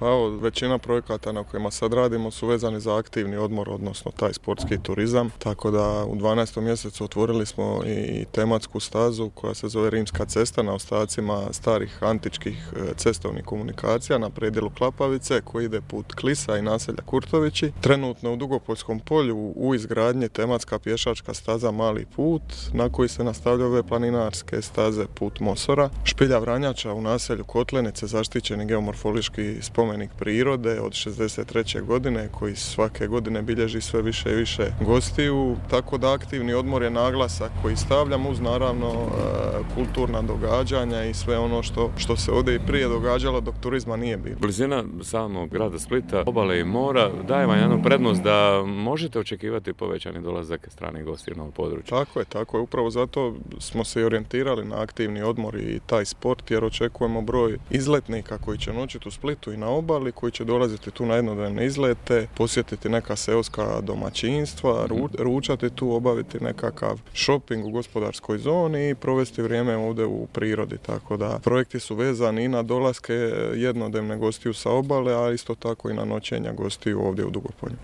Pa evo, većina projekata na kojima sad radimo su vezani za aktivni odmor, odnosno taj sportski turizam. Tako da u 12. mjesecu otvorili smo i tematsku stazu koja se zove Rimska cesta na ostacima starih antičkih cestovnih komunikacija na predjelu Klapavice koji ide put Klisa i naselja Kurtovići. Trenutno u Dugopoljskom polju u izgradnji tematska pješačka staza Mali put na koji se nastavljaju ove planinarske staze Put Mosora. Špilja Vranjača u naselju Kotlenice, zaštićeni geomorfološki spomenik prirode od 63. godine koji svake godine bilježi sve više i više gostiju, tako da aktivni odmor je naglasak koji stavljamo uz naravno kulturna događanja i sve ono što se ovdje i prije događalo dok turizma nije bilo. Blizina samog grada Splita, obale i mora daje vam jednu prednost da možete očekivati povećani dolazak stranih gostiju na ovo područje. Tako je. Upravo zato smo se i orijentirali na aktivni odmor i taj sport jer očekujemo broj izletnika koji će noćiti u Splitu i na obali, koji će dolaziti tu na jednodnevne izlete, posjetiti neka seoska domaćinstva, ručati tu, obaviti nekakav shopping u gospodarskoj zoni i provesti vrijeme ovdje u prirodi. Tako da projekti su vezani i na dolaske jednodnevne gostiju sa obale, a isto tako i na noćenja gostiju ovdje u Dugopolju.